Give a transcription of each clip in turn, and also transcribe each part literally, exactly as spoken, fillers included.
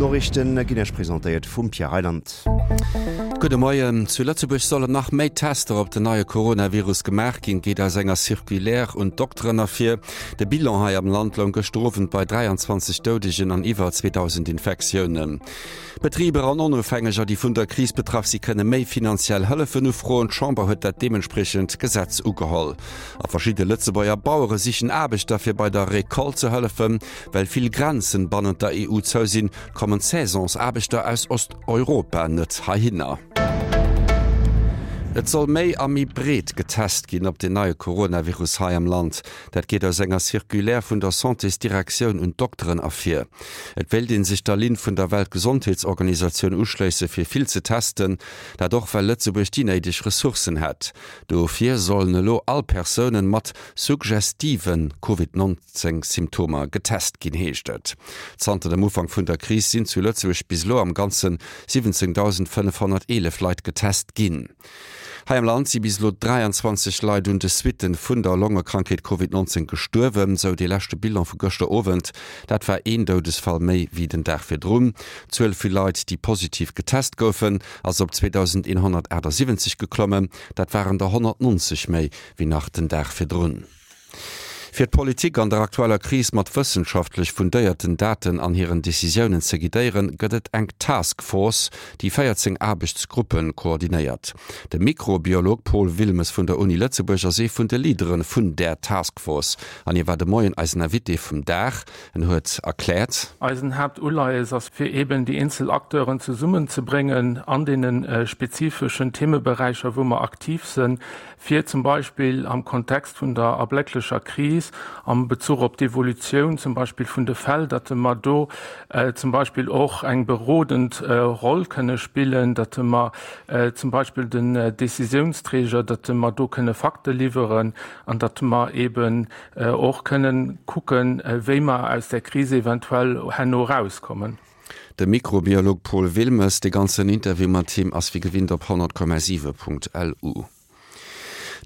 D'Noriichten ginn Iech presentéiert vum Pierre Reyland. Gudde Moien. Zu Lëtzebuerg sollen nach méi Tester op den neie Coronavirus gemaach ginn, geet aus enger Circulaire un d'Dokteren ervir. De Bilan hei am Land loung gëschter Owend bei dräianzwanzeg Doudegen an iwwer zweedausend Infektiounen. Betriber an Onofhängeger, déi vun der Kris betraff si kënne méi finanziell Hëllefen ufroen. D'Chamber huet dat deementspriechend Gesetz ugeholl. A verschidde Lëtzebuerger Bauere sichen Aarbechter fir bei der Recolte ze hëllefen. Well vill Grenzen bannent der E U zou sinn, kommen d'Saisonsaarbechter aus Osteuropa net heihinner. Et soll méi a méi breet getest ginn op den neie Coronavirus hei am Land. Dat geet aus enger Circulaire vun der Santésdirektioun un d'Dokteren ervir. Et wéilt ee sech der Linn vun der Weltgesondheetsorganisatioun uschléisse fir vill ze testen. Dat och well Lëtzebuerg déi néideg Ressourcen hätt. Dofir sollen elo all Persounen mat suggestive Covid nonzéng Symptomer getest ginn, heescht et. Zanter dem Ufank vun der Kris sinn zu Lëtzebuerg bis elo am Ganze siwwenzéngdausendfënnefhonnerteelef Leit getest ginn. Hei am Land si bis elo dräianzwanzeg Leit un de Suitten vun der Longekrankheet Covid nonzéng gestuerwen, sou dee leschte Bilan vu gëschter Owend. Dat war een Doudesfall méi wéi den Dag virdrun. D'Zuel vu Leit, déi positiv getest goufen, ass op zweedausendeenhonnertaachtsiwwenzeg geklommen. Dat waren der honnertnonzeg méi wéi nach den Dag virdrun. Fir d'Politik an der aktueller Kris mat wëssenschaftlech fundéierten Daten an hiren Decisiounen ze guidéieren, gëtt et eng Task Force, déi véierzéng Aarbechtsgruppe koordinéiert. De Mikrobiolog Paul Wilmes vun der Uni Lëtzebuerg ass ee vun de Leadere vun där Task Force an hie war de Moien eisen Invité vum Dag. En huet erkläert. Eisen Haaptuleies ass, fir eben déi eenzel Acteuren zesummenzebréngen an deene spezifeschen Themeberäicher, wou mer aktiv sinn, fir zum Beispill am Kontext vun der erblécklecher Kris, am Bezuch op d'Evolutioun zum Beispill vun de Fäll, datt mer do, äh, zum Beispill och eng berodend, äh, Roll kënne spillen, datt mer, äh, zum Beispill den, äh, Décisiounsträger, datt mer do kënne Fakte liwweren an datt mer eben, äh, och kënnen kucken, äh, wéi mer aus der Krise eventuell herno rauskommen. De Mikrobiolog Paul Wilmes, de ganzen Interview mat him ass wéi gewinnt op honnert Komma siwe Punkt L U.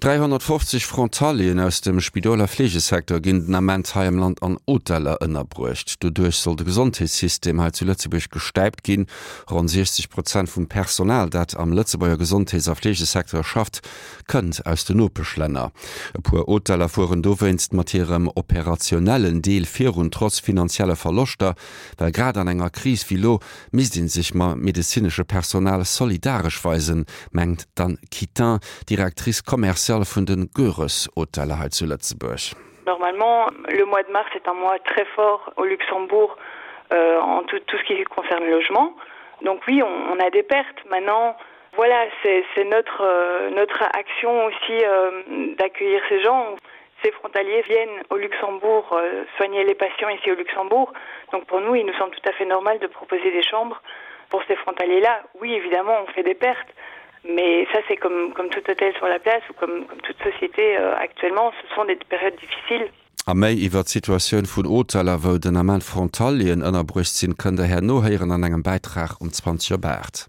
dräihonnertfofzeg Frontalieren aus dem Spidoler Fleegesecteur ginn den Ament hei am Land an Hoteller ënnerbruecht. Doduerch soll de Gesondheetssystem hei zu Lëtzebuerg gestäipt ginn. Ronn siechzeg Prozent vum Personal, dat am Lëtzebuerger Gesondheets- a Fleegesecteur schafft, kënnt aus den Nopeschlänner. E puer Hoteller fueren dowéinst mat hirem operationellen Deel virun, trotz finanzieller Verloschter, well grad an enger Kris wéi lo misst een sech mam medezinesche Personal solidaresch weisen, mengt d'Anne Quitin, Directrice commerciale vun den Göres-Hoteller hei zu Lëtzebuerg. Normalement, le mois de mars est un mois très fort au Luxembourg, euh, en tout, tout ce qui concerne le logement. Donc oui, on, on a des pertes. Maintenant, voilà, c'est, c'est notre, euh, notre action aussi, euh, d'accueillir ces gens. Ces frontaliers viennent au Luxembourg, euh, soigner les patients ici au Luxembourg. Donc pour nous, il nous semble tout à fait normal de proposer des chambres pour ces frontaliers-là. Oui, évidemment, on fait des pertes. Mais ça, c'est comme, comme tout hôtel sur la place ou comme, comme toute société, euh, actuellement. Ce sont des périodes difficiles. A méi iwwer d'Situatioun vun Hoteller, wou den Ament Frontalieren ënnerbruecht sinn, kënnt der herno héieren an engem Bäitrag um zwanzeg op aacht.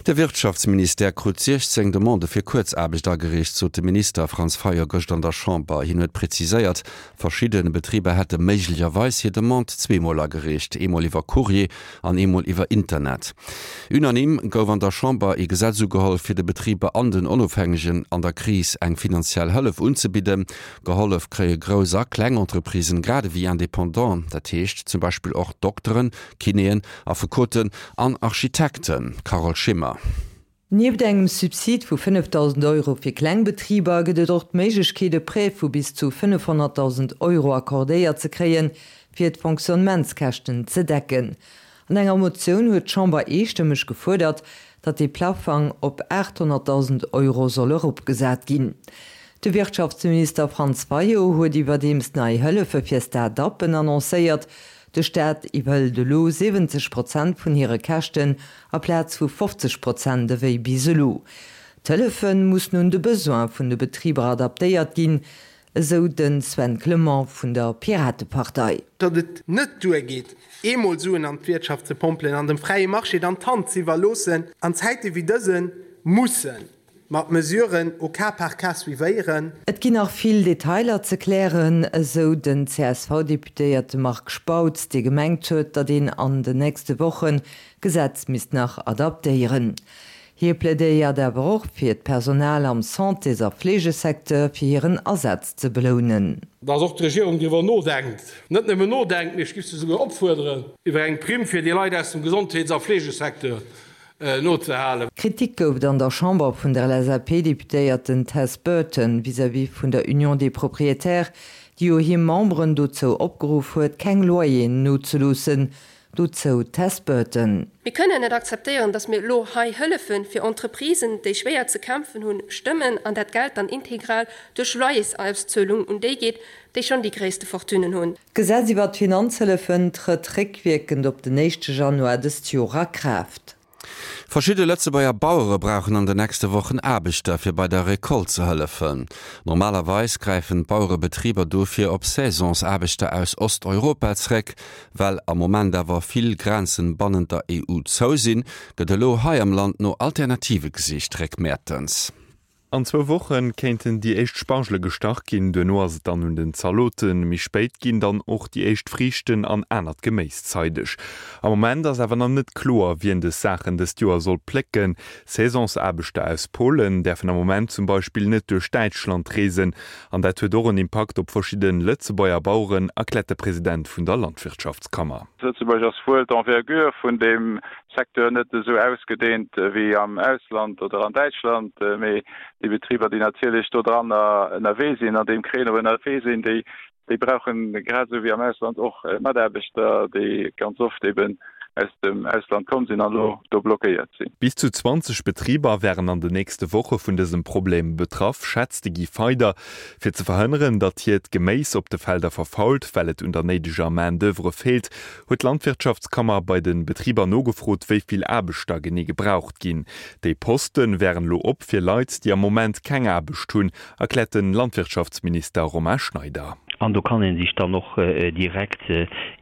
De Wirtschaftsministère krut siechzéng Demandë fir Kuerzaarbecht agereecht, sot de Minister Franz Fayot gëscht an der Chamber. Hien huet preziséiert, verschidde Betriber hätte méiglecherweis hir Demande zweemol agereecht, eemol iwwer Courrier an eemol iwwer Internet. Unanime gouf an der Chamber ee Gesetz ugeholl, fir de Betriber an den Onofhängegen an der Kris eng finanziell Hëllef unzebidden. Gehollef kréie grouss a kleng Entreprisen, grad ewéi Indépendant, dat heescht zum Beispill och Dokteren, Kinéen, Affekoten an Architekten. Carole Schimmer. Nieft engem Subsid vu fënnefdausend Euro fir Klengbetriber gëtt et och d'Méiglechkeet, e Prêt vu bis zu fënnefhonnertdausend Euro accordéiert ze kréien, fir d'Fonctionnementskäschten ze decken. An enger Motioun huet d'Chamber eestëmmeg gefuerdert, datt de Plafang op achthonnertdausend Euro soll eropgesat ginn. De Wirtschaftsminister Franz Fayot huet iwwerdeems nei Hëllefe fir Start-uppen annoncéiert. De Staat iwwerhëlt elo siwwenzeg Prozent vun hire Käschten amplaz vu fofzeg Prozent ewéi bis elo. D'Hëllefe mussen un de Besoin vun de Betriber adaptéiert ginn, esou den Sven Clement vun der Piratepartei. Datt et net duergeet, eemol Suen an d'Wirtschaft ze pompelen, an dem fräie Marché dann d'Hand ze iwwerloossen, an Zäite wéi dëse mussen Mer d'Mesuren au cas par cas suivéieren. Et ginn nach vill Detailer ze klären, esou den C S V-Deputéierte Marc Spautz, dee gemengt huet, datt een an den nächste Wochen d'Gesetz misst nach adaptéieren. Hie plädéiert awer och fir d'Personal am Santés a Fleegesecteur, fir hiren Asaz ze belounen. Dass och d'Regierung driwwer nodenkt, net nëmmen nodenkt, mee ech géif se souguer opfuerderen, iwwer eng Primm fir déi Leit aus dem Gesondheets a Fleegesecteur nozehalen. Kritik gouf et an der Chamber vun der L S A P-Deputéierten Tess Burton vis-à-vis vun der Union des Propriétaires, déi jo hir Memberen dozou opgeruff huet, keng Loyeren nozeloossen. Dozou d'Tess Burton. Mir kënnen net akzeptéieren, datt mir elo hei Hëllefe fir Entreprisen, déi schwéier ze kämpfen hunn, stëmmen an dat Geld dann integral duerch Loyersauszuelung un déi geet, déi schonn déi gréisste Fortunen hunn. D'Gesetz iwwer d'Finanzhëllefen trëtt réckwierkend op den éischte Januar dëst Joer a Kraaft. Verschidde Lëtzebuerger Bauere brauchen an den nächste Wochen Aarbechter, fir bei der Recolte ze hëllefen. Normalerweis gräifen d'Bauerebetriber dofir op Saisonsaarbechter aus Osteuropa zeréck. Well am Moment awer vill Grenzen bannent der E U zou sinn, gëtt elo hei am Land no Alternative gesicht. Rick Mertens. An zwou Woche kéinten déi éischt Spargele gestach ginn, duerno ass et dann un den Zaloten. Méi spéit ginn dann och déi éischt Friichten an anert Geméis zeideg. Am Moment ass awer nach net kloer, wien dës Saachen dëst Joer soll plécken. Saisonsaarbechter aus Polen däerfen am Moment zum Beispill net duerch Däitschland reesen. An dat huet och en Impakt op verschidde Lëtzebuerger Baueren, erkläert de President vun der Landwirtschaftskammer. Lëtzebuerg ass wuel d'Envergure vun deem Secteur net esou ausgedeent wéi am Ausland oder an Däitschland, mee déi Betriber, déi natierlech do dran ënnerwee sinn, an deem Créneau ënnerwee sinn, déi déi brauchen grad esou wéi am Ausland och Mataarbechter, déi ganz oft eben aus dem Ausland komm sinn an elo do blockéiert sinn. Bis zu zwanzeg Betriber wären an den nächste Woche vun dësem Problem betraff, schätzt de Guy Feyder. Fir ze verhënneren, datt hiert Geméis op de Felder verfault, well et un der néideger Main d'oeuvre feelt, huet d'Landwirtschaftskammer bei de Betriber nogefrot, wéi vill Aarbechter genee gebraucht ginn. Déi Poste wären elo op fir Leit, déi am Moment keng Aarbecht hunn, erkläert de Landwirtschaftsminister Romain Schneider. An do kann ee sech dann och direkt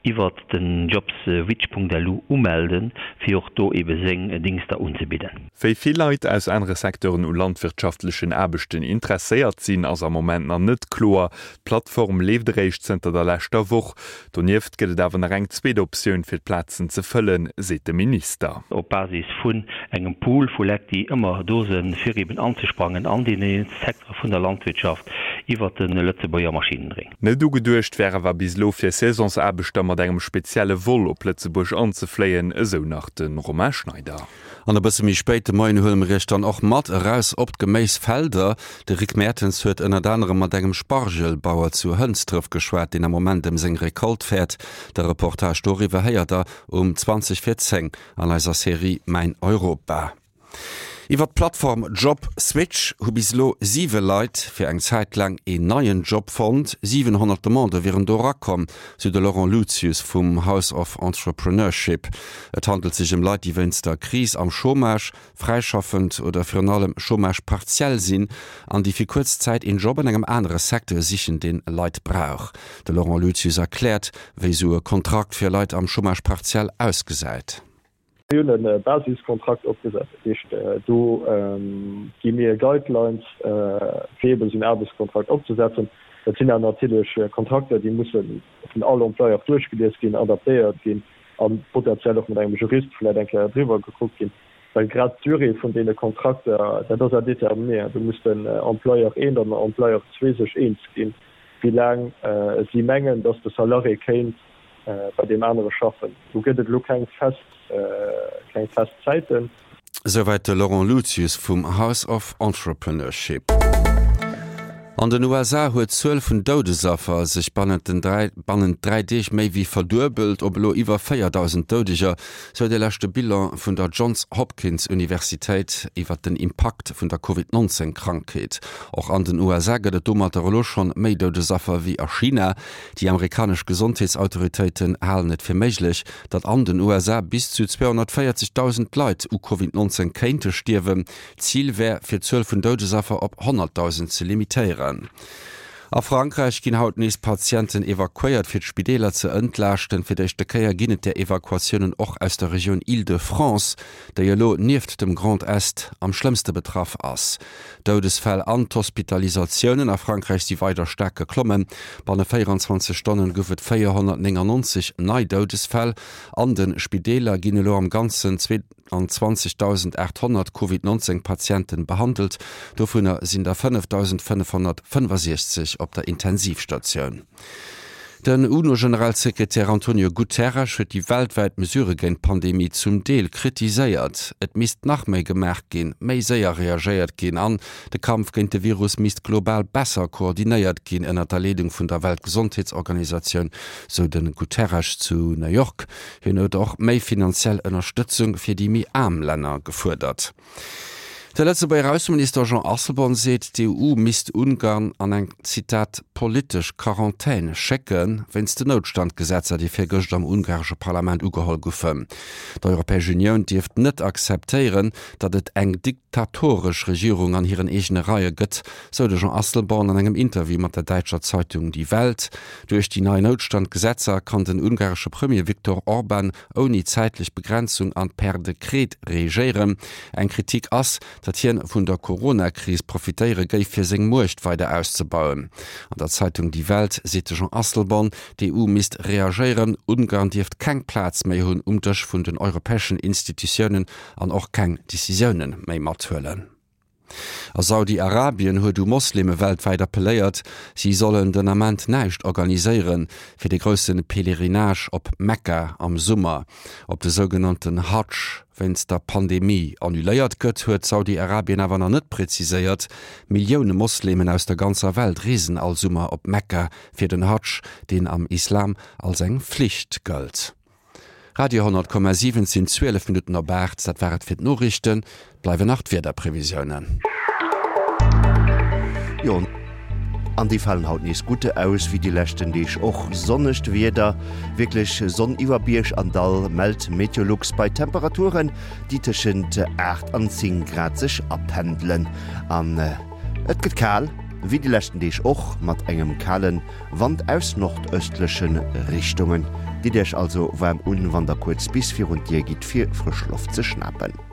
iwwert den jobswitch Punkt L U umelden, fir och do ebe seng Dingschter unzebidden. Wéi vill Leit aus anere Secteuren u landwirtschaftlechen Aarbechten interesséiert sinn, ass am Moment nach net kloer. D'Plattform leeft eréischt zënter der leschter Woch. Donieft gëtt et awer nach eng zweet Optioun fir d'Plazen ze fëllen, seet de Minister. Op Basis vun engem Pool vu Leit, déi ëmmer do sinn, fir eben anzesprangen an deene Secteure vun der Landwirtschaft iwwert de Lëtzebuerger Maschinenring. Net ugeduecht wär awer bis elo fir Saisonsaarbechter mat engem spezielle Vol op Lëtzebuerg anzefléien, esou nach de Romain Schneider. An e bësse méi spéit de Moien huele mir iech dann och mat eraus op d'Geméisfelder. De Rick Mertens huet ënnert anerem mat engem Spargelbauer zu Hënsdref geschwat, deen am Moment ëm seng Recolte fäert. De Reportage doriwwer héiert der um zwanzeg vir zéng an eiser Serie Mäin Europa. Iwwer d'Plattform JobSwitch hu bis elo siwe Leit fir eng Zäit laang een neien Job fonnt. siwenhonnert Demandë wieren do erakomm, sou de Laurent Lucius vum House of Entrepreneurship. Et handelt sech ëm Leit, déi wéinst der Kris am Chômage, fräischaffend oder virun allem Chômage partiel sinn an déi fir kuerz Zäit een Job an engem anere Secteur sichen, deen Leit brauch. De Laurent Lucius erkläert, wéi sou e Kontrakt fir Leit am Chômage partiel ausgesäit. Mir hunn e Basiskontrakt opgesat, dat heescht do gi mir Guidelines fir eben esou en Aarbechtskontrakt opzesetzen. Dat sinn awer natierlech Kontrakter, déi musse vun all Employeur duerchgelies ginn, adaptéiert ginn a potenziell och mat engem Jurist vläicht eng Kéier driwwer gekuckt ginn, well grad d'Durée vun deene Kontrakter, dat ass à déterminer. Do muss den Employeur eent an den Employeur zwee sech eens ginn, wéi laang si mengen, datt de Salarié kéint bei deem anere schaffen. Do gëtt et elo keng fest keng fest Zäiten. Souwäit de Laurent Lucius vum House of Entrepreneurship. An den U S A huet d'Zuel vun Doudesaffer sech bannent den dräi bannent dräi Deeg méi wéi verduebelt, op elo iwwer véierdausend Doudeger, sou de leschte Bilan vun der Johns Hopkins Universitéit iwwer den Impakt vun der Covid neunzehn Krankheet. Och an den U S A gëtt et domatter elo schonn méi Doudesaffer wéi a China. Déi amerikanesch Gesondheetsautoritéiten halen et fir méiglech, datt an den U S A bis zu zweehonnertvéierzegdausend Leit u Covid neunzehn kéinte stierwen. Zil wär, fir d'Zuel vun Doudesaffer op honnertdausend ze limitéieren. A Frankräich ginn haut nees Patienten evakuéiert, fir d'Spideeler ze entlaaschten. Fir d'éischte Kéier ginn et där Evakuatiounen och aus der Regioun Île-de-France, déi elo nieft dem Grand Est am schlëmmste betraff ass. D'Doudesfäll an d'Hospitalisatiounen a Frankräich si weider staark geklommen. Banne véieranzwanzeg Stonnen gouf et véierhonnertnéngannonzeg nei Doudesfäll. An de Spideeler ginn elo am Ganzen zweeanzwanzegdausendachthonnert Covid neunzéng Patienten behandelt, dovunner sinn der fënnefdausendfënnefhonnertfënnefasechzeg op der Intensivstatioun. Den UNO-Generalsekretär Antonio Guterres huet déi weltwäit Mesurë géint d'Pandemie zum Deel kritiséiert. Et misst nach méi gemaach ginn, méi séier reagéiert ginn an de Kampf géint de Virus misst global besser koordinéiert ginn ënner der Leedung vun der Weltgesondheetsorganisatioun, sou de Guterres zu New York. Hien huet och méi finanziell Ënnerstëtzung fir déi méi aarm Länner gefuerdert. De Lëtzebuerger Ausseminister Jean Asselborn seet, d'EU misst Ungarn an eng, Zitat, politesch Quarantän schécke wéinst den Noutstandgesetzer, déi virgëscht am ungaresche Parlament ugeholl goufen. D'Europäesch Unioun dierft net akzeptéieren, datt et eng diktatoresch Regierung an hiren eegene Reie gëtt, sou de Jean Asselborn an engem Interview mat der däitscher Zeitung Die Welt. Duerch déi nei Noutstandgesetzer kann den ungaresche Premier Viktor Orban ouni zäitlech Begrenzung an per Dekret regéieren. Eng Kritik ass, datt hien vun der Corona-Kris profitéiere géif, fir seng Muecht weider auszebauen. An der Zeitung Die Welt seet de Jean Asselborn, d'EU misst reagéieren, Ungarn dierft keng Plaz méi hunn um Dësch vun den europäeschen Institutiounen an och keng Decisioune méi mathuelen. A Saudi-Arabien huet u Mosleme weltwäit appelléiert, si sollen den Ament näischt organiséieren, fir de grousse Pèlerinage op Mekka am Summer, op de sougenannten Hadsch, wéinst der Pandemie annuléiert gëtt, huet Saudi-Arabien awer nach net preziséiert. Millioune Moslemen aus der ganzer Welt reesen all Summer op Mekka fir den Hadsch, deen am Islam als eng Flicht gëllt. Radio honnert Komma siwen Et sinn zwielef Minutten op aacht. Dat war et fir d'Noriichten. Bleiwen nach d'Wiederprevisiounen. Jo, an déi falen haut nees gutt aus, wéi déi leschten Deeg och. Sonnegt Wieder, wierklech Sonn iwwer Bierg an Dall, mellt Meteolux bei Temperaturen, déi tëschent aacht an zéng Grad sech apendelen. An et gëtt kal, wéi déi leschten Deeg och, mat engem kale Wand aus nordëstleche Richtungen. Ditt Iech also waarm un, wann der kuerz bis virun d'Dier gitt, fir frësch Loft ze schnapen.